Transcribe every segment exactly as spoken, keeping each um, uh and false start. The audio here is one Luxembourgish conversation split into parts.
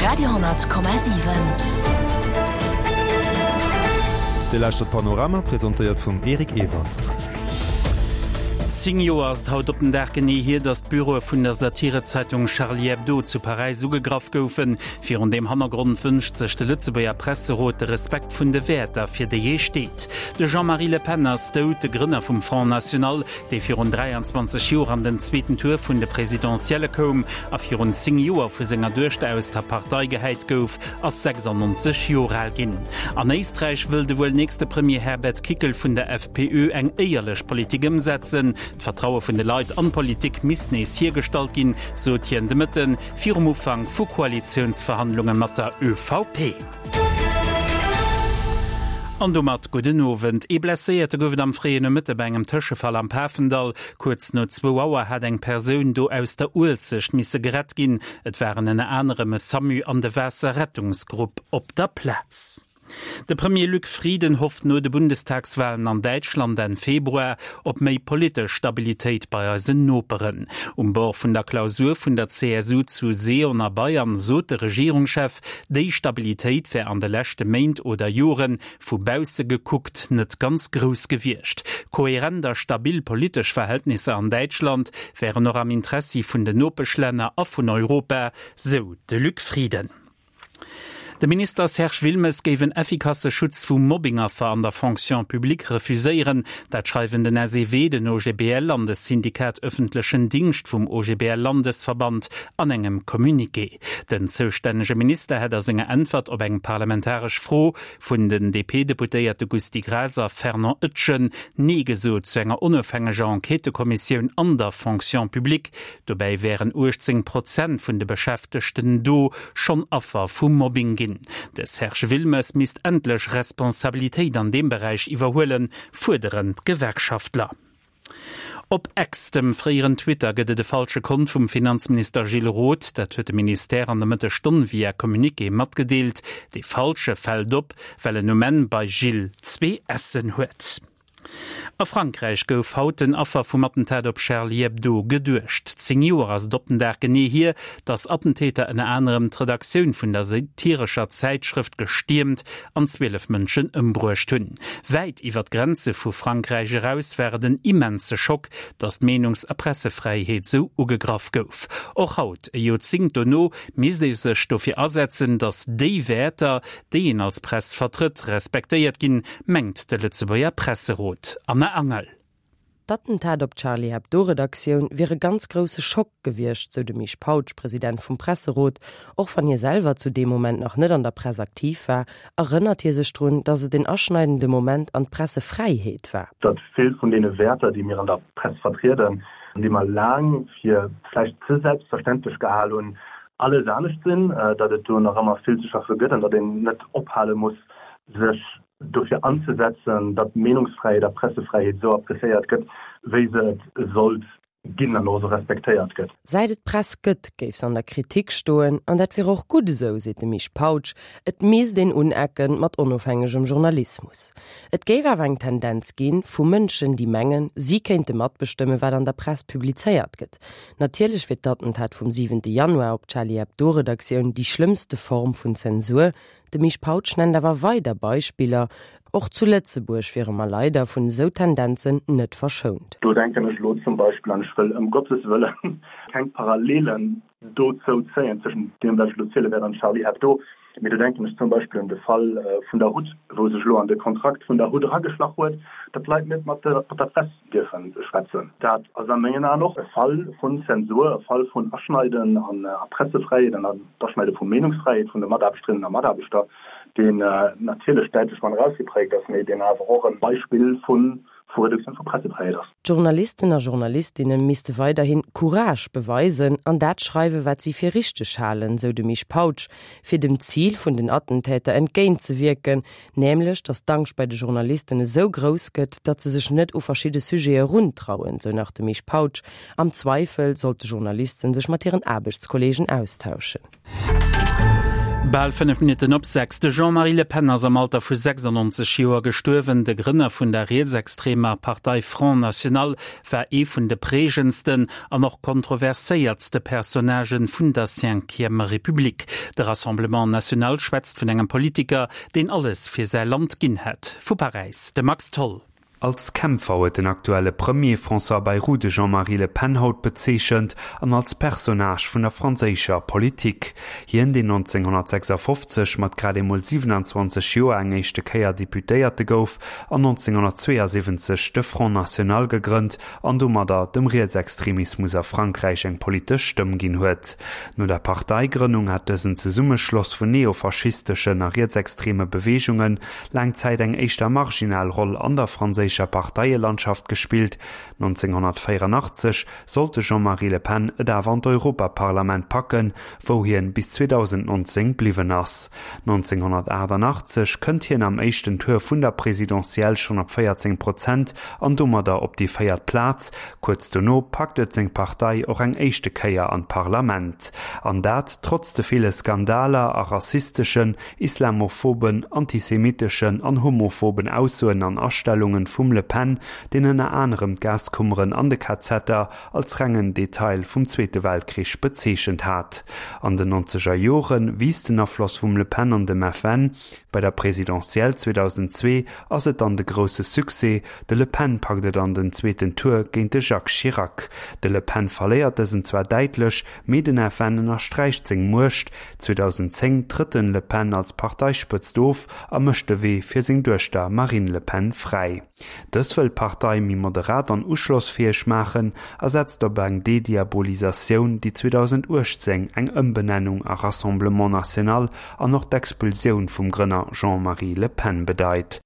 Radio Komma siwen. Dir lauschtert Panorama, presentéiert vum Eric Ewald. Zéng Joer ass et haut op den Dag genee hier, datt d'Büroe vun der Satirezeitung Charlie Hebdo zu Paräis ugegraff goufen. Virun deem Hannergrond wënscht sech de Lëtzebuerger Presserot de Respekt vun de Wäerter, fir déi ee steet. De Jean-Marie Le Pen ass dout, de Grënner vum Front National, dee virun dräianzwanzeg Joer an den zweeten Tour vun de Presidentielle koum a virun zéng Joer vu senger Duechter aus der Partei gehäit gouf, ass sechsannonzeg Joer al ginn. An Éisträich wëll de wuel nächste Premier Herbert Kickl vun der F P Ö eng éierlech Politik ëmsetzen. D'Vertraue vun de Leit an d'Politik misst nees hiergestallt ginn, sot hien de Mëtten virum Ufank vu Koalitiounsverhandlunge mat der Ö V P. An domat gudden Owend. Ee Blesséierte gouf et am fréien Nomëtte bei engem Tëschefall am Pafendall. Kuerz no zwou Auer hat eng Persoun do aus der Uelzecht misse gerett ginn. Et waren ënner anerem e SAMU an de Waasserrettungsgrupp op der Plaz. De Premier Luc Frieden hofft no de Bundestagswalen an Däitschland Enn Februar op méi politesch Stabilitéit bei eisen Noperen. Um Bord vun der Klausur vun der C S U zu Seeon a Bayern sot de Regierungschef, déi Stabilitéit wär an de leschte Méint oder Joren vu bausse gekuckt net ganz grouss gewiescht. Kohärent a stabil politesch Verhältnisser an Däitschland wären och am Interessi vun den Nopeschlänner a vun Europa, sou de Luc Frieden. De Minister Serge Wilmes géif en effikasse Schutz vu Mobbingaffer an der Fonction publique refuséieren. Dat schreiwen den S E W, den O G B L an de Syndikat Öffentlichen Dingscht vum O G B L-Landesverband an engem Communiqué. Den zoustännege Minister hätt a senger Äntwert op eng parlamentaresch Fro vun den D P-Deputéierte Gusty Graas a Fernand Etgen Nee gesot zu enger onofhängeger Enquêtëkommissioun an der Fonction publique. Dobäi wären uechtzéng Prozent vun de Beschäftegten do schonn Affer vu Mobbing ginn. De Serge Wilmes misst endlech Responsabilitéit an deem Beräich iwwerhuelen, fuerderen d'Gewerkschaftler. Op X, dem fréieren Twitter, gëtt et e falsche Kont vum Finanzminister Gilles Roth. Dat huet de Ministère an der Mëttesstonn via Communiqué matgedeelt. Dee falsche fält op, well en um Enn bei Gilles zwee S'en huet. A Frankräich gouf haut den Affer vum Attentat op Charlie Hebdo geduecht. Zéng Joer ass et op den Dag genee hier, datt Attentäter ënner anerem d'Redaktioun vun der satirescher Zäitschrëft gestiermt an zwielef Mënschen ëmbruecht hunn. Wäit iwwer d'Grenze vu Frankräich eraus war et en immense Schock, datt d'Meenungs a Pressefräiheet sou ugegraff gouf. Och haut, e Joerzéngt dono, misst ee sech dofir asetzen, datt déi Wäerter, déi een als Press vertrëtt, respektéiert ginn, mengt de Lëtzebuerger Presserot. Anna Angel. D'Attentat op Charlie Hebdo-Redaktioun wier e ganz grousse Schock gewiescht, sou de Misch Pautsch, President vum Presserot. Och wann hie selwer zu deem Moment nach net an der Press aktiv war, erënnert hie sech drun, datt et en aschneidende Moment an d'Pressefräiheet war. Datt vill vun deene Wäerter, déi mir an der Press vertrieden, déi mer laang fir vläicht ze selbstverständlech gehal hunn, alles anescht sinn, datt et do nach ëmmer vill ze schaffe gëtt an datt een net ophale muss, sech dofir anzesetzen, datt Meenungsfräiheet a Pressefräiheet sou appreciéiert gëtt, wéi se et sollt ginn an och sou respektéiert gëtt. Säit et d'Press gëtt, géif se an der Kritik stoen, an dat wier och gutt esou, seet de Misch Pautsch, et misst een unecken mat onofhängegem Journalismus. Et géif awer eng Tendenz ginn vu Mënschen, déi mengen, si kéinte matbestëmmen, wat an der Press publizéiert gëtt. Natierlech wier d'Attentat vum siwente Januar op Charlie Hebdo-Redaktioun déi schlëmmste Form vun Zensur. De Misch Pautsch nennt awer weider Beispiller, och zu Lëtzebuerg wiere mer leider vun esou Tendenzen net verschount. Do denken ech lo zum Beispill an, ech wëll ëm Gottes Wëllen keng Parallelen dozou zéien tëschent deem, wat ech lo ziele wäert, an Charlie Hebdo, mee do denken ech zum Beispill un de Fall vun der H U T, wou sech lo an de Kontrakt vun der H U T erageschlach huet, datt d'Leit net mat der mat der Press dierfe schwätzen. Dat ass a mengen Aen och e Fall vun Zensur, e Fall vun Aschneiden an a Pressefräiheet an d'Aschneide vu Meenungsfräiheet vun de Mataarbechterinnen a Mataarbechter, deen natierlech däitlech manner ausgepräägt ass, mee deen awer och e Beispill vu vu Reduktioun vu Pressefräiheet ass. D'Journalisten a Journalistinne misste weiderhin Courage beweisen an dat schreiwen, wat si fir richteg halen, sou de Misch Pautsch, fir dem Zil vun den Attentäter entgéintzewierken, nämlech datt d'Angscht bei de Journalisten esou grouss gëtt, datt se sech net u verschidde Sujete eruntrauen, sou nach de Misch Pautsch. Am Zweifel sollte Journalisten sech mat hiren Aarbechtskollegen austauschen. Bal fënnef Minutten op sechs. De Jean-Marie Le Pen ass am Alter vu sechsannonzeg Joer gestuerwen. De Grënner vun der rietsextremer Partei Front National war ee vun de prägendsten an och kontroverséiertste Personnagë vun der Cinquième République. De Rassemblement National schwätzt vun engem Politiker, deen alles fir säi Land ginn hätt. Vu Paräis de Max Tholl. Als Kämpfer huet den aktuelle Premier François Bayrou de Jean-Marie Le Pen haut bezeechent an als Personnage vun der franséischer Politik. Hien, deen nonzénghonnertsechsafofzeg mat grad emol siwenanzwanzeg Joer eng éischte Kéier Deputéierte gouf an nonzénghonnertzweeasiwwenzeg de Front National gegrënnt an domadder dem Rietsextremismus a Frankräich eng politesch Stëmm ginn huet. No der Parteigrënnung hat dësen Zesummeschloss vun neofaschisteschen a rietsextreme Beweegungen laang Zäit eng éischter marginal Roll an der franséischer Parteielandschaft gespillt. nonzénghonnertvéierunachtzeg sollt de Jean-Marie Le Pen et awer an d'Europaparlament packen, wou hien bis zweedausendnonzéng bliwwen ass. nonzénghonnertaachtannachtzeg kënnt hien am éischten Tour vun der Presidentielle schonn op véierzéng Prozent an domadder op déi véiert Plaz. Kuerz dono packt et seng Partei och eng éischte Kéier an d'Parlament. An dat trotz de ville Skandaler a rassisteschen, islamophoben, antisemiteschen an homophoben Aussoen an Astellungen vum Le Pen, deen ënner anerem d'Gaskummeren an de KZer als rengen Detail vum Zweete Weltkrich bezeechent hat. An den nonzeger Jore wiisst den Afloss vum Le Pen an dem F N. Bei der Presidentielle zweedausendzwee ass et dann de grousse Succès, de Le Pen packt et an den zweeten Tour géint de Jacques Chirac. De Le Pen verléiert dësen zwar däitlech, mee den F N ënnersträicht seng Muecht. zweedausendzéng trëtt den Le Pen als Parteispëtzt of a mécht de Wee fir seng Duechter Marine Le Pen fräi. Dës wëll d'Partei méi moderat an uschlossfäeg maachen a setzt op eng Dediabolisatioun, déi zweedausenduechtzéng eng Ëmbenennung a Rassemblement National an och d'Expulsioun vum Grënner Jean-Marie Le Pen bedeit.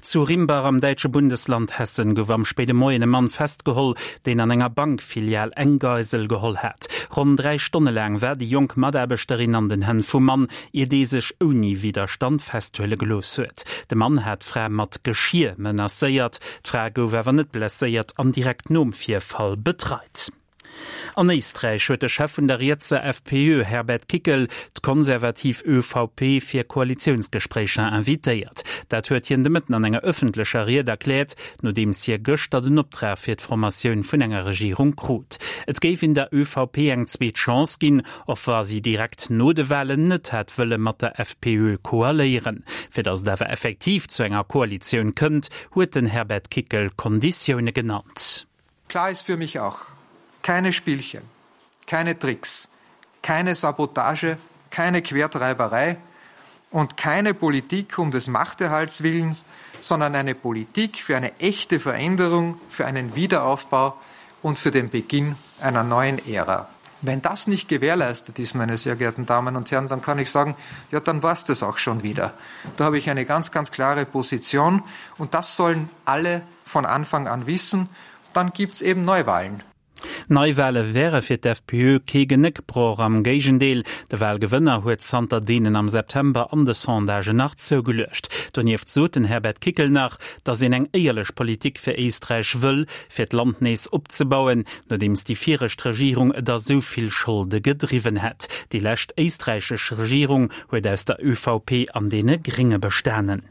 Zu Rimbach am däitsche Bundesland Hessen gouf am spéide Moien e Mann festgeholl, deen an enger Bankfilial eng Geisel geholl hat. Ronn dräi Stonne laang war déi jonk Mataarbechterin an den Hänn vum Mann, ier dee sech ouni Widderstand festhuele gelooss huet. De Mann hat d'Fra mat Geschier menacéiert. D'Fra gouf awer net blesséiert an direkt nom Virfall betreit. An Éisträich huet de Chef vun der rietser F P Ö Herbert Kickl d'konservativ Ö V P fir Koalitiounsgespréicher invitéiert. Dat huet hien de Mëtten an enger ëffentlecher Ried erkläert, nodeems hie gëschter den Optrag fir d'Formatioun vun enger Regierung krut. Et géif een der Ö V P eng zweet Chance ginn, och wa si direkt no de Walen net hätt wëlle mat der F P Ö koaléieren. Fir datt et awer effektiv zu enger Koalitioun kënnt, huet den Herbert Kickl Konditioune genannt. Klar ist für mich auch, keine Spielchen, keine Tricks, keine Sabotage, keine Quertreiberei und keine Politik um des Machterhalts willens, sondern eine Politik für eine echte Veränderung, für einen Wiederaufbau und für den Beginn einer neuen Ära. Wenn das nicht gewährleistet ist, meine sehr geehrten Damen und Herren, dann kann ich sagen, ja, dann war's das auch schon wieder. Da habe ich eine ganz, ganz klare Position und das sollen alle von Anfang an wissen. Dann gibt's eben Neuwahlen. Neiwale wäre fir d'F P Ö kee Genéckbroch, am Géigendeel, de Walgewënner huet zanter deenen am September an de Sondagen nach zougeluecht. Donieft sot den Herbert Kickl nach, datt een eng éierlech Politik fir Éisträich wëll, fir d'Land nees opzebauen, nodeems déi viregt Regierung et a sou vill Scholde gedriwwen hätt. Déi lescht éisträichesch Regierung huet aus der Ö V P an deene Grénge bestanen.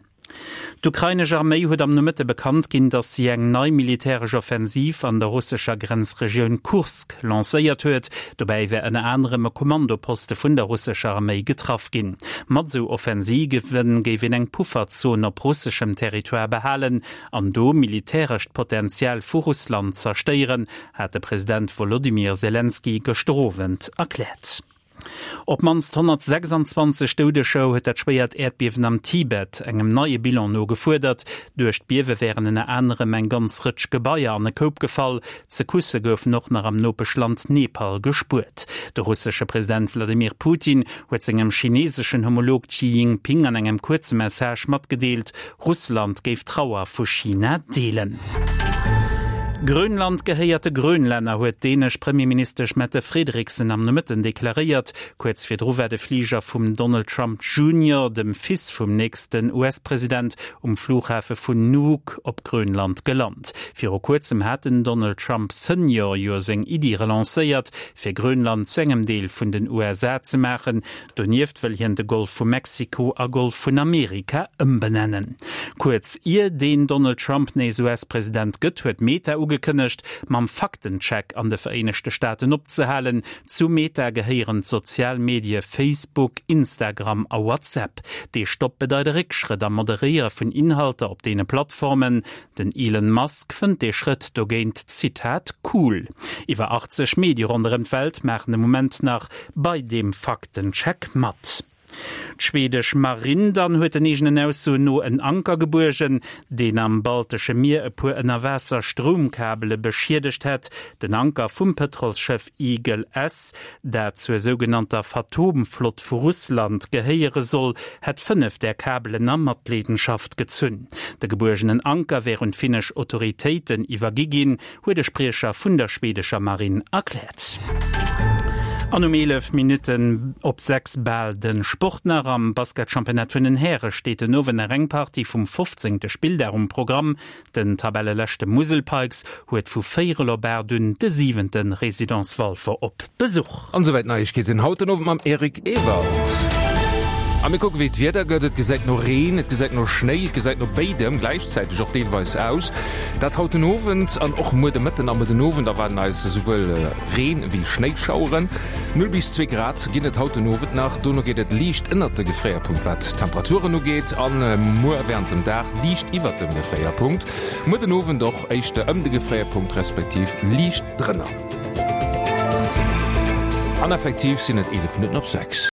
D'ukrainesch Arméi huet am Nomëtte bekannt ginn, datt si eng nei militäresch Offensiv an der russescher Grenzregioun Kursk lancéiert huet. Dobäi wär ënner anerem e Kommandoposte vun der russescher Arméi getraff ginn. Mat sou Offensive géif een eng Pufferzon op russeschem Territoire behalen an do militärescht Potenzial vu Russland zerstéieren, hat de President Wolodymyr Selenskyj gëschter Owend erkläert. Op d'mannst honnertsechsanzwanzeg Doudeger huet dat schwéiert Äerdbiewen am Tibet engem neie Bilan no gefuerdert. Duerch d'Biewe wären ënner anerem eng ganz Rëtsch Gebaier an e Koup gefall. Secoussë goufen och nach am Nopeschland Nepal gespuert. De russesche President Wladimir Putin huet sengem chineeseschen Homolog Xi Jinping an engem kuerze Message matgedeelt, Russland géif d'Trauer vu China deelen. Grönland gehéiert de Grönlänner, huet d'dänesch Premierministesch Mette Frederiksen am Nomëtten deklaréiert. Kuerz virdru war de Fliger vum Donald Trump Junior, dem Fils vum nächsten US-President, um Flughafe vun Nuuk op Grönland gelant. Viru kuerzem hat den Donald Trump Senior jo seng Iddi relancéiert, fir Grönland zu engem Deel vun den USA ze maachen. Donieft wëll hien de Golf vu Mexiko a Golf vun Amerika ëmbenennen. Kuerz ier den Donald Trump nees US-President gëtt, huet Meta ugekënnegt, mam Faktencheck an de Vereenegte Staaten opzehalen. Zu Meta gehéieren d'sozial Medie Facebook, Instagram a WhatsApp. Dee Stopp bedeit e Réckschrëtt am Moderéiere vun Inhalter op deene Plattformen. Den Elon Musk fënnt dee Schrëtt dogéint, Zitat, cool. Iwwer achtzeg Medie ronderëm d'Welt maachen de Moment nach bei deem Faktencheck mat. D'schwedesch Marinn dann huet den eegenen Aussoen no en Anker gebuergen, deen am Baltesche Mier e puer Ënnerwaasser-Stroumkabele beschiedegt hätt. Den Anker vum Pëtrolsschëff Eagle S, dat zur sougenannter Phatom-Flott vu Russland gehéiere soll, hätt fënnef där Kabelen a Matleedenschaft gezunn. De gebuergenen Anker wär un d'finnesch Autoritéiten iwwergi ginn, huet e Spriecher vun der schwedescher Marinn erkläert. An um eelef Minutten op sechs bal de Sport nach. Am Basketchampionnat vun den Häre steet den Owend nach eng Partie vum fofzéngte Spilldag um Programm. Den Tabelleleschte Musel Pikes huet vu véierel op aacht un de siwente Résidence Walfer op Besuch. An esouwäit d'Neiegkeeten haut den Owend mam Eric Ewald. A mir kucken, wéi d'Wieder gëtt. Et gesäit no Reen, et gesäit no Schnéi, et gesäit no béidem gläichzäiteg och deelweis aus. Dat haut den Owend an och muer de Mëtten a muer den Owend erwaarden eis esouwuel Reen ewéi Schnéischaueren. Null bis zwee Grad ginn et haut den Owend nach, dono geet et liicht ënnert de Gefréierpunkt wat d'Temperaturen ugeet an muer wärend dem Dag liicht iwwert dem Gefréierpunkt. Muer den Owend och éischter ëm de Gefréierpunkt respektiv liicht drënner. An effektiv sinn et eelef Minutten op sechs.